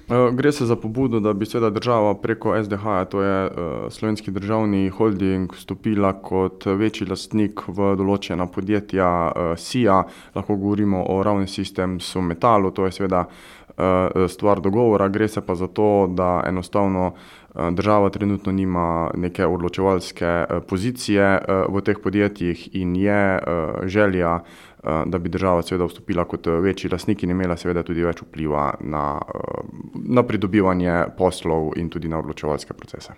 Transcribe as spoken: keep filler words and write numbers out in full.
Gre se za pobudo, da bi seveda država preko es de ha-ja, to je Slovenski državni holding, vstopila kot večji lastnik v določena podjetja SIA. Lahko govorimo o Roune Systems v Metalu, to je seveda stvar dogovora. Gre se pa za to, da enostavno država trenutno nima neke odločevalske pozicije v teh podjetjih in je želja, da bi država seveda vstopila kot večji lastnik in imela seveda tudi več vpliva na, na pridobivanje poslov in tudi na odločevalske procese.